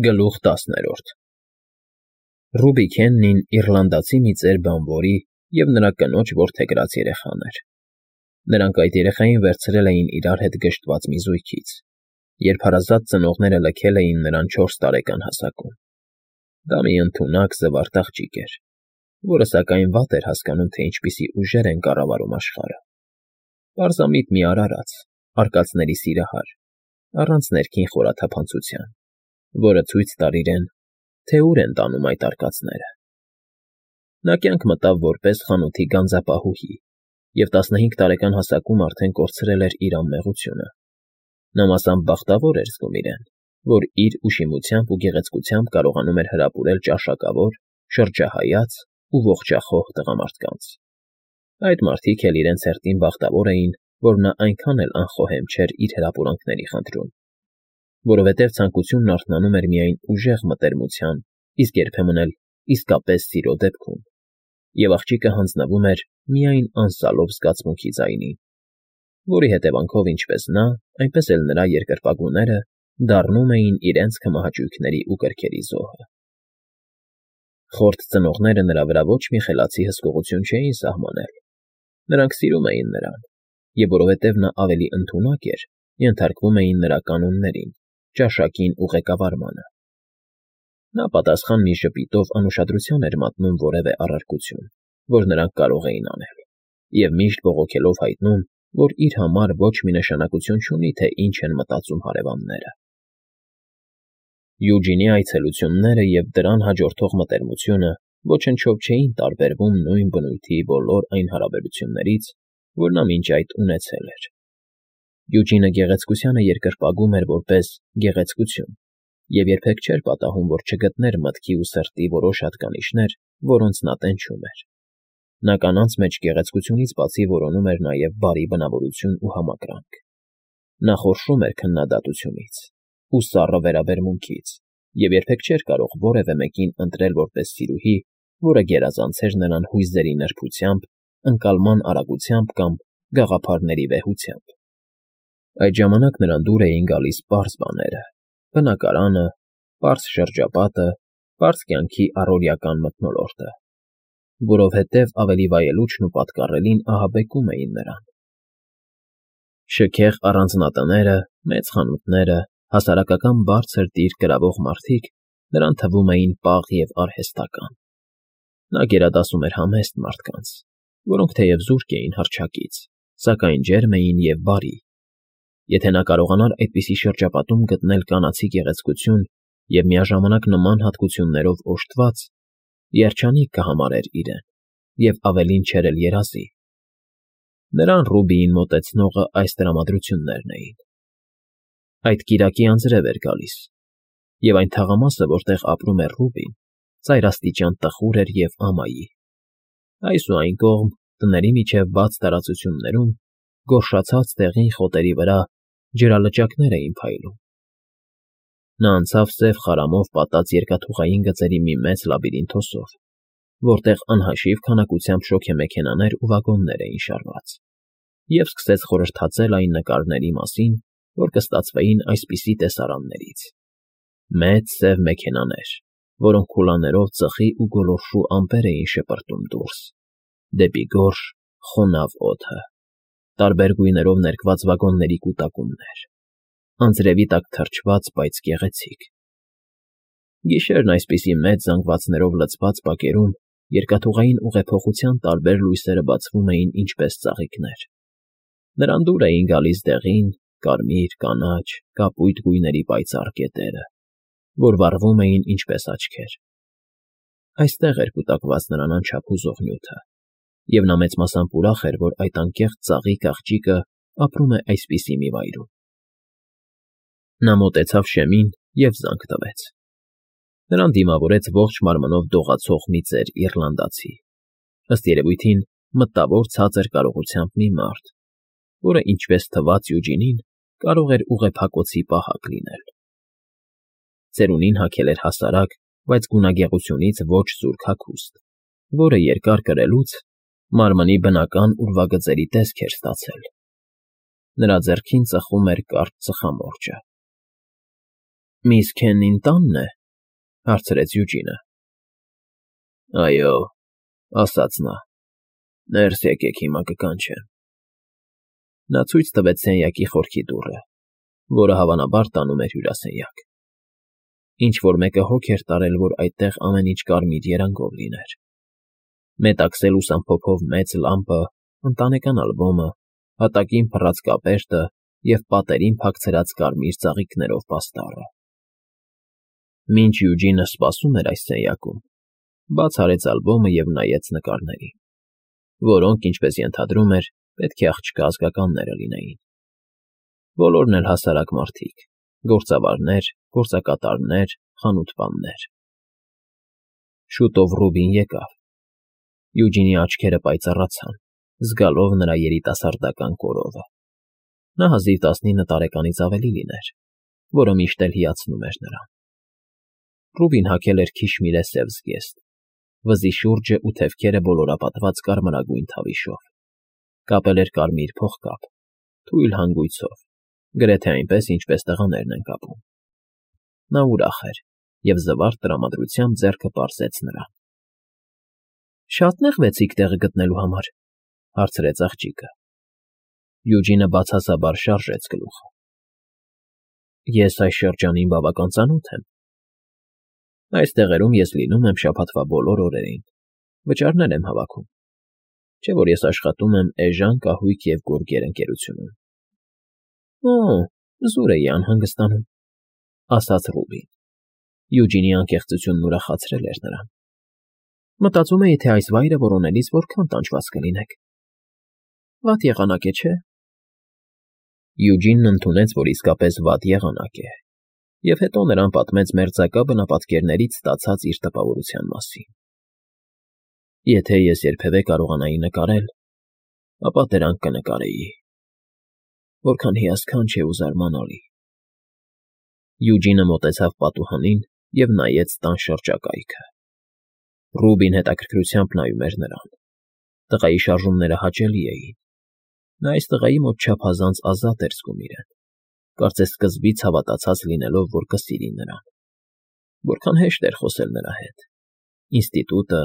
Գլուխ 10 Ռուբի Քեննին իռլանդացի մի ծեր բանվորի և նրա կնոջ որդեգրած երեխան էր։ Նրանք այդ երեխային վերցրել էին իրար հետ գժտված մի զույգից, երբ հարազատ ծնողները լքել էին նրան 4 տարեկան հասակում։ Դա մի ընդունակ զվարթ աղջիկ էր, որը սակայն վատ էր հասկանում, թե ինչպիսի ուժեր են կառավարում աշխարհը։ Պարզամիտ մի արարած, արկածների սիրահար, առանց ներքին խորաթափանցության, որը ցույց տար իրեն, թե ուր են տանում այդ արկածները։ Նա կյանք մտավ որպես խանութի գանձապահուհի և 15 տարեկան հասակում արդեն կորցրել էր իր անմեղությունը։ Նա մասամբ բախտավոր էր զգում իրեն, որ իր ուշիմությամբ ու գեղեցկությամբ կարողանում էր հրապուրել ճաշակավոր, շրջահայաց ու ողջախոհ տղամարդկանց։ Այդ մարդիկ էլ իրենց հերթին բախտավոր էին, որ նա այնքան էլ անխոհեմ չէր իր հրապուրանքների խնդրում, որովհետև ցանկությունն արթնանում էր միայն ուժեղ մտերմության, իսկ երբեմն էլ իսկապես սիրո դեպքում, և աղջիկը հանձնվում էր միայն անսալով զգացմունքի ձայնին, որի հետևանքով ինչպես նա, այնպես էլ նրա երկրպագուները դառնում էին իրենց քմահաճույքների ու կրքերի զոհը։ Խորթ ծնողները նրա վրա ոչ մի խելացի հսկողություն չէին սահմանել։ Նրանք սիրում էին նրան, և որովհետև նա ավելի ընդունակ էր, ենթարկվում էին նրա կանոններին, ճաշակին ու ղեկավարմանը։ Նա պատասխան մի ժպիտով անուշադրության էր մատնում որևէ առարկություն, որ նրանք կարող էին անել, և միշտ բողոքելով հայտնում, որ իր համար ոչ մի նշանակություն չունի, թե ինչ են մտածում հարևանները։ Յուջինի այցելությունները և դրան հաջորդող մտերմությունը ոչնչով չէին տարբերվում նույն բնույթի բոլոր այն հարաբերություններից, որ նա մինչ այդ ունեցել էր։ Յուջինը գեղեցկությանը երկրպագում էր որպես գեղեցկություն և երբեք չէր պատահում, որ չգտներ մտքի ու սրտի որոշ հատկանիշներ, որոնց նա տենչում էր։ Նա կանանց մեջ գեղեցկությունից բացի որոնում էր նաև բարի բնավորություն ու համակրանք։ Նա խորշում էր քննադատությունից ու սառը վերաբերմունքից և երբեք չէր կարող որևէ մեկին ընտրել որպես սիրուհի, որը գերազանցեր նրան հույզերի նրբությամբ, ընկալման արագությամբ կամ գաղափարների վեհությամբ։ Այդ ժամանակ նրան դուր էին գալիս պարզ բաները՝ բնակարանը, պարզ շրջապատը, պարզ կյանքի առօրեական մթնոլորտը, որովհետև ավելի վայելուչն ու պատկառելին ահաբեկում էին նրան։ Շքեղ առանձնատները, մեծ խանութները, հասարակական բարձր դիր կրավող մարդիկ նրան թվում էին պաղ և արհեստական։ Նա գերադասում էր համեստ մարդկանց, որոնք թեև զուրկ էին հռչակից, սակայն ջերմ էին և բարի։ Եթե նա կարողանար այդպիսի շրջապատում գտնել կանացի գեղեցկություն և միաժամանակ նման հատկություններով օժտված, երջանիկ կհամարեր իրեն և ավելին չէր էլ երազի։ Նրան Ռուբիին մոտեցնողը այս տրամադրություններն էին. Այդ կիրակի անձրև էր գալիս, և այն թաղամասը, որտեղ ապրում էր Ռուբին, ծայրաստիճան տխուր էր և ամայի։ Այս ու այն կողմ, տների միջև բաց տարածություններում, գորշացած դեղին խոտերի վրա ջրալճակներ էին փայլում։ Նա անցավ սև խարամով պատած երկաթուղային գծերի մի մեծ լաբիրինթոսով, որտեղ անհաշիվ քանակությամբ շոգեմեքենաներ ու վագոններ էին շարված, և սկսեց խորհրդածել այն նկարների մասին, որ կստացվեին այսպիսի տեսարաններից. մեծ սև մեքենաներ, որոնք քուլաներով ծխի ու գոլորշու ամպեր էին շպրտում դուրս, դեպի գորշ, խոնավ օդը, տարբեր գույներով ներկված վագոնների կուտակումներ, անձրևի տակ թրջված, բայց գեղեցիկ։ Գիշերն այսպիսի մեծ զանգվածներով լցված բակերում երկաթուղային ուղեփոխության տարբեր լույսերը բացվում էին ինչպես ծաղիկներ։ Նրան դուր էին գալիս դեղին, կարմիր, կանաչ, կապույտ գույների պայծառ կետերը, որ վառվում էին ինչպես աչքեր։ Այստեղ էր կուտակված նրան անչափ հուզող նյութը, և նա մեծ մասամբ ուրախ էր, որ այդ անկեղծ ծաղիկ աղջիկը ապրում է այսպիսի մի վայրում։ Նա մոտեցավ շեմին և զանգ տվեց։ Նրան դիմավորեց ողջ մարմնով դողացող մի ծեր իռլանդացի, ըստ երևույթին մտավոր ցածր կարողությամբ մի մարդ, որը, ինչպես թվաց Յուջինին, կարող էր ուղեփակոցի պահակ լինել։ Ծերունին հագել էր հասարակ, բայց գունագեղությունից ոչ զուրկ հագուստ, որը երկար կրելուց մարմնի բնական ուրվագծերի տեսք էր ստացել։ Նրա ձեռքին ծխում էր կարճ ծխամորճը։ Միս Քեննին տանն է,֊ հարցրեց Յուջինը։ Այո, ասաց նա, ներս եկեք հիմա կկանչեմ։ Նա ցույց տվեց սենյակի խորքի դուռը, որը հավանաբար տանում էր հյուրասենյակ։ Ինչ֊որ մեկը հոգ էր տարել, որ այդտեղ ամեն ինչ կարմիր երանգով լիներ. մետաքսե լուսամփոփով մեծ լամպը, ընտանեկան ալբոմը, հատակին փռած կապերտը և պատերին փակցրած կարմիր ծաղիկներով պաստառը։ Մինչ Յուջինը սպասում էր այս սենյակում, բաց արեց ալբոմը և նայեց նկարներին, որոնք, ինչպես ենթադրում էր, պետք է աղջկա ազգականները լինեին։ Բոլորն էլ հասարակ մարդիկ, գործավարներ, գործակատարներ, խանութպաններ։ Շուտով Ռուբին եկավ։ Յուջինի աչքերը պայծառացան, զգալով նրա երիտասարդական կորովը։ Նա հազիվ 19 տարեկանից ավելի լիներ, որը միշտ էլ հիացնում էր նրան։ Ռուբին հագել էր քիշմիրե սև զգեստ, վզի շուրջը ու թևքերը ոլորապատված կարմրագույն թավիշով, կապել էր կարմիր փողկապ, թույլ հանգույցով, գրեթե այնպես, ինչպես տղաներն են կապում։ Նա ուրախ էր և զվարթ տրամադրությամբ ձեռքը պարզեց նրան։ Շատ նեղվեցիք տեղը գտնելու համար,֊ հարցրեց աղջիկը։ Յուջինը բացասաբար շարժեց գլուխը։ Ես այս շրջանին բավական ծանոթ եմ։ Այս տեղերում ես լինում եմ շաբաթվա բոլոր օրերին, վճարներ եմ հավաքում, չէ՞ որ ես աշխատում եմ Էժան կահույք և գորգեր ընկերությունում։ Օ, զուր էի անհանգստանում,֊ ասաց Ռուբին։ Յուջինի անկեղծությունն ուրախացրել էր նրան։ Մտածում էի, թե այս վայրը որոնելիս որքան տանջված կլինեք։ Վատ եղանակ է, չէ՞։ Յուջինն ընդունեց, որ իսկապես վատ եղանակ է, և հետո նրան պատմեց մերձակա բնապատկերներից ստացած իր տպավորության մասին։ Եթե ես երբևէ կարողանայի նկարել, ապա դրանք կնկարեի։ Որքան հիասքանչ է ու զարմանալի։ Յուջինը մոտեցավ պատուհանին և նայեց տան շրջակայքը։ Ռուբին հետաքրքրությամբ նայում էր նրան։ Տղայի շարժումները հաճելի էին։ Նա այս տղայի մոտ չափազանց ազատ էր զգում իրեն, կարծես սկզբից հավատացած լինելով, որ կսիրի նրան։ Որքան հեշտ էր խոսել նրա հետ։ Ինստիտուտը,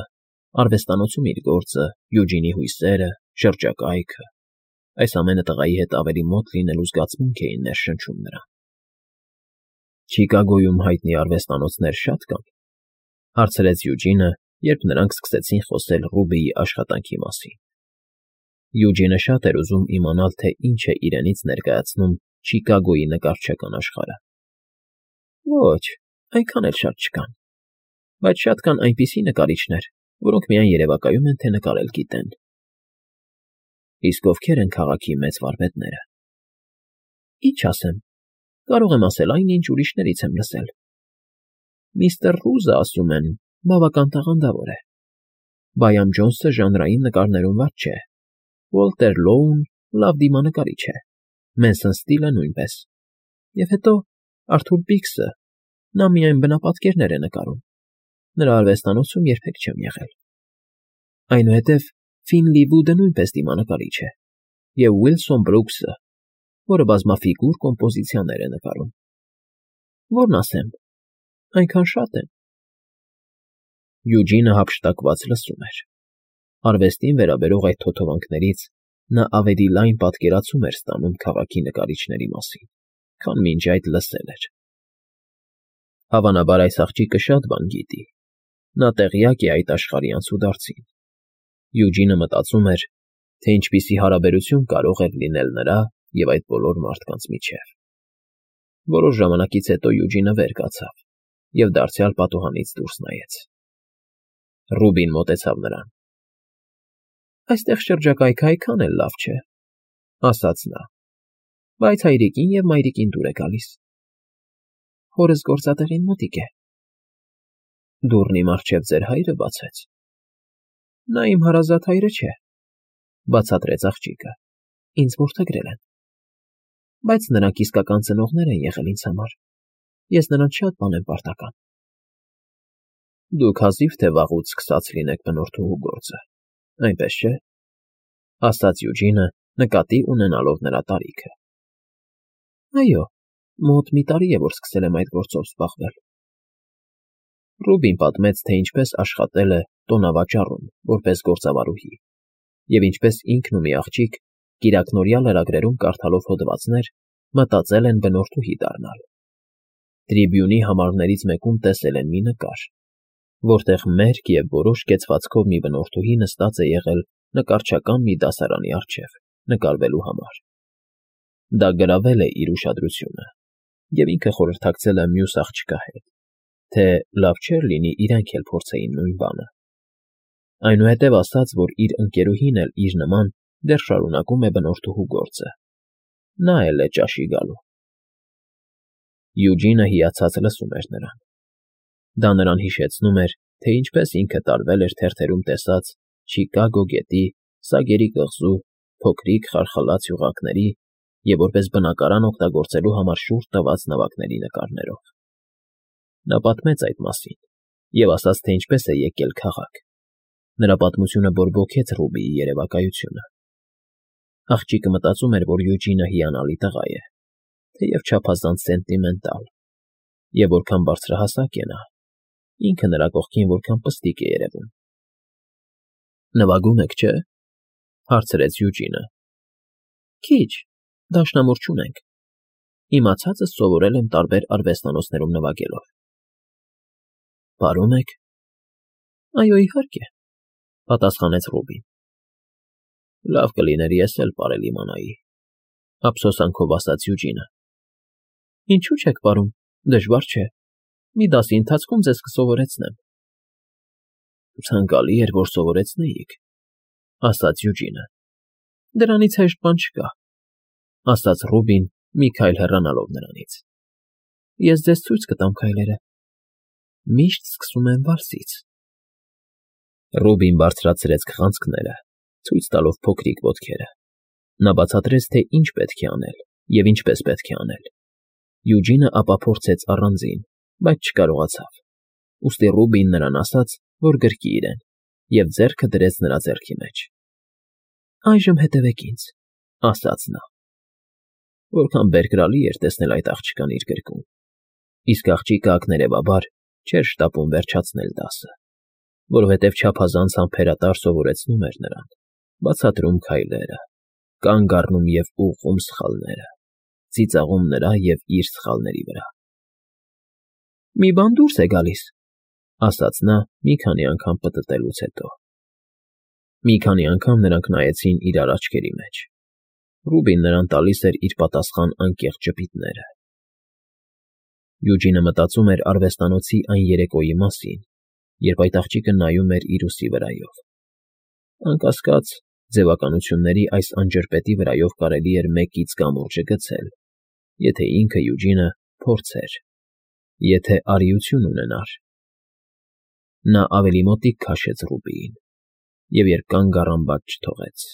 արվեստանոցում իր գործը, Յուջինի հույսերը, շրջակայքը, այս ամենը տղայի հետ ավելի մոտ լինելու զգացմունք էին ներշնչում նրան։ Չիկագոյում հայտնի արվեստանոցներ շատ կան,֊ հարցրեց Յուջինը, երբ նրանք սկսեցին խոսել Ռուբիի աշխատանքի մասին։ Յուջինը շատ էր ուզում իմանալ, թե ինչ է իրենից ներկայացնում Չիկագոյի նկարչական աշխարհը։ Ոչ, այնքան էլ շատ չկան, բայց շատ կան այնպիսի նկարիչներ, որոնք միայն երևակայում են, թե նկարել գիտեն։ Իսկ ովքեր են քաղաքի մեծ վարպետները։ Ինչ ասեմ, կարող եմ ասել այն, ինչ ուրիշներից եմ լսել։ Միստր Ռուզը, ասում են, բավական տաղանդավոր է։ Բայամ Ջոնսը ժանրային նկարներում վատ չէ։ Ուոլտեր Լոուն լավ դիմանկարիչ է։ Մենսոն Ստիլը նույնպես։ Եվ հետո Արթուր Պիքսը, նա միայն բնապատկերներ է նկարում։ Նրա արվեստանոցում երբեք չեմ եղել։ Այնուհետև Ֆինլի Վուդը նույնպես դիմանկարիչ է։ Եվ Ուիլսոն Բրուքսը, որը բազմաֆիգուր կոմպոզիցիաներ է նկարում։ Որն ասեմ, այնքան շատ են։ Յուջինը հափշտակված լսում էր։ Արվեստին վերաբերող այդ թոթովանքներից նա ավելի լայն պատկերացում էր ստանում քաղաքի նկարիչների մասին, քան մինչ այդ լսել էր։ Հավանաբար այս աղջիկը շատ բան գիտի։ Նա տեղյակ է այդ աշխարհի անցուդարձին։ Յուջինը մտածում էր, թե ինչպիսի հարաբերություն կարող էր լինել նրա և այդ բոլոր մարդկանց միջև։ Որոշ ժամանակից հետո Յուջինը վեր կացավ և դարձյալ պատուհանից դուրս նայեց։ Ռուբին մոտեցավ նրան։ Այստեղ շրջակայքը այքան էլ լավ չէ, ասաց նա, բայց հայրիկին և մայրիկին դուր է գալիս։ Հորս գործատեղին մոտիկ է։ Դուռն իմ առջև ձեր հայրը բացեց։ Նա իմ հարազատ հայրը չէ, բացատրեց աղջիկը, ինձ որդեգրել են։ Բայց նրանք իսկական ծնողներ են եղել ինձ համար։ Ես նրանց շատ բան եմ պարտական։ Դուք հազիվ թե վաղուց սկսած լինեք բնորդուհու գործը, այնպես չէ՞, ասաց Յուջինը, նկատի ունենալով նրա տարիքը։ Այո, Մոտ մի տարի է, որ սկսել եմ այդ գործով զբաղվել։ Ռուբին պատմեց, թե ինչպես աշխատել է տոնավաճառում որպես գործավարուհի, և ինչպես ինքն ու մի աղջիկ, կիրակնօրյա լրագրերում կարդալով հոդվածներ, մտածել են բնորդուհի դառնալ։ Տրիբյունի համարներից մեկում տեսել են մի նկար, որտեղ մերկ և որոշ կեցվածքով մի բնորդուհի նստած է եղել նկարչական մի դասարանի առջև, նկարվելու համար։ Դա գրավել է իր ուշադրությունը, և ինքը խորհրդակցել է մյուս աղջկա հետ, թե լավ չէր լինի իրենք էլ փորձեին նույն բանը։ Այնուհետև ասաց, որ իր ընկերուհին էլ իր նման դեռ շարունակում է բնորդուհու գործը։ Նա էլ է ճաշի գալու։ Յուջինը հիացած լսում էր նրան։ Դա նրան հիշեցնում էր, թե ինչպես ինքը տարվել էր թերթերում տեսած Չիկագո գետի, Սագերի կղզու, փոքրիկ խարխլած յուղակների և որպես բնակարան օգտագործելու համար շուրջ տված նավակների նկարներով։ Նա պատմեց այդ մասին և ասաց, թե ինչպես է եկել քաղաք։ Նրա պատմությունը բորբոքեց Ռուբիի երևակայությունը։ Աղջիկը մտածում էր, որ Յուջինը հիանալի տղա է, թեև չափազանց սենտիմենտալ, և որքան բարձրահասակ է նա, ինքը նրա կողքին որքան պստիկ է երևում։ Նվագում եք, չէ՞, հարցրեց Յուջինը։ Քիչ, դաշնամուր չունենք։ Իմացածս սովորել եմ տարբեր արվեստանոցներում նվագելով։ Պարում եք։ Այո, իհարկե, պատասխանեց Ռուբին։ Լավ կլիներ ես էլ պարել իմանայի, ափսոսանքով ասաց Յուջինը։ Ինչու՞ չեք պարում, դժվար չէ։ Մի դասի ընթացքում ձեզ կսովորեցնեմ։ Ցանկալի էր, որ սովորեցնեիք, ասաց Յուջինը։ Դրանից հեշտ բան չկա, ասաց Ռուբին, մի քայլ հեռանալով նրանից։ Ես ձեզ ցույց կտամ քայլերը։ Միշտ սկսում եմ վալսից։ Ռուբին բարձրացրեց քղանցքները, ցույց տալով փոքրիկ ոտքերը։ Նա բացատրեց, թե ինչ պետք է անել և ինչպես պետք է անել։ Յուջինը ապա փորձեց առանձին, բայց չկարողացավ։ Ուստի Ռուբին նրան ասաց, որ գրկի իրեն, և ձեռքը դրեց նրա ձեռքի մեջ։ Այժմ հետևեք ինձ, ասաց նա։ Որքան բերկրալի էր տեսնել այդ աղջկան իր գրկում, իսկ աղջիկը ակներևաբար չէր շտապում վերջացնել դասը, որովհետև չափազանց համբերատար սովորեցնում էր նրան, բացատրում քայլերը, կանգ առնում և ուղղում սխալները, ծիծաղում նրա և իր սխալների վրա։ Մի բան դուրս է գալիս, ասաց նա մի քանի անգամ պտտելուց հետո։ Մի քանի անգամ նրանք նայեցին իրար աչքերի մեջ։ Ռուբին նրան տալիս էր իր պատասխան անկեղծ ժպիտները։ Յուջինը մտածում էր արվեստանոցի այն երեկոյի մասին, երբ այդ աղջիկը նայում էր իր ուսի վրայով։ Անկասկած, ձևականությունների այս անջրպետի վրայով կարելի էր մեկից կամուրջը գցել, եթե ինքը Յուջինը փորձեր, եթե արիություն ունենար։ Նա ավելի մոտիկ քաշեց Ռուբիին և երբ կանգ առան, բաց չթողեց։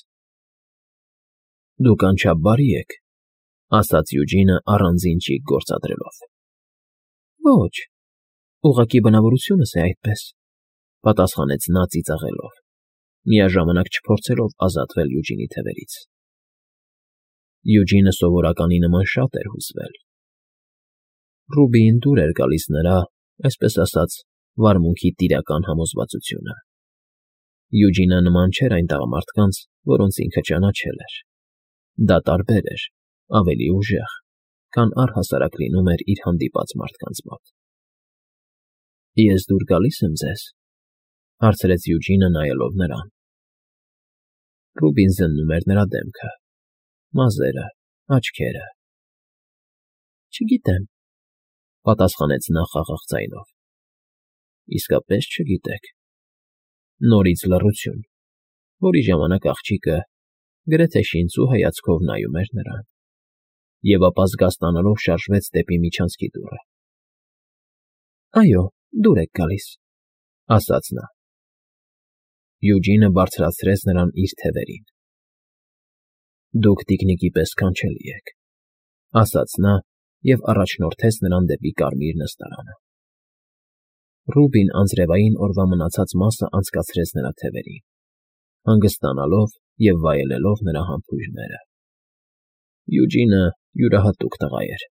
Դուք անչափ բարի եք, ասաց Յուջինը առանձին ճիգ գործադրելով։ Ոչ, ուղղակի բնավորությունս է այդպես, պատասխանեց նա ծիծաղելով, միաժամանակ չփորձելով ազատվել Յուջինի թևերից։ Յուջինը սովորականի նման շատ էր հուզվել։ Ռուբիին դուր էր գալիս նրա, այսպես ասած, վարմունքի տիրական համոզվածությունը։ Յուջինը նման չէր այն տղամարդկանց, որոնց ինքը ճանաչել էր։ Դա տարբեր էր, ավելի ուժեղ, քան առհասարակ լինում էր իր հանդիպած մարդկանց մոտ։ Ես դուր գալի՞ս եմ ձեզ, հարցրեց Յուջինը նայելով նրան։ Ռուբին զննում էր նրա դեմքը, մազերը, աչքերը։ Չգիտեմ, պատասխանեց նա խաղաղ ձայնով։ Իսկապես չգիտեք։ Նորից լռություն, որի ժամանակ աղջիկը գրեթե շինծու հայացքով նայում էր նրան, և ապա զգաստանալով շարժվեց դեպի միջանցքի դուռը։ Այո, դուր եք գալիս, ասաց նա։ Յուջինը բարձրացրեց նրան իր թևերին։ Դուք տիկնիկի պես քանչելի եք, ասաց նա և առաջնորդեց նրան դեպի կարմիր նստարանը։ Ռուբին անձրևային օրվա մնացած մասը անցկացրեց նրա թևերին, հանգստանալով և վայելելով նրա համբույրները։ Յուջինը յուրահատուկ տղա էր։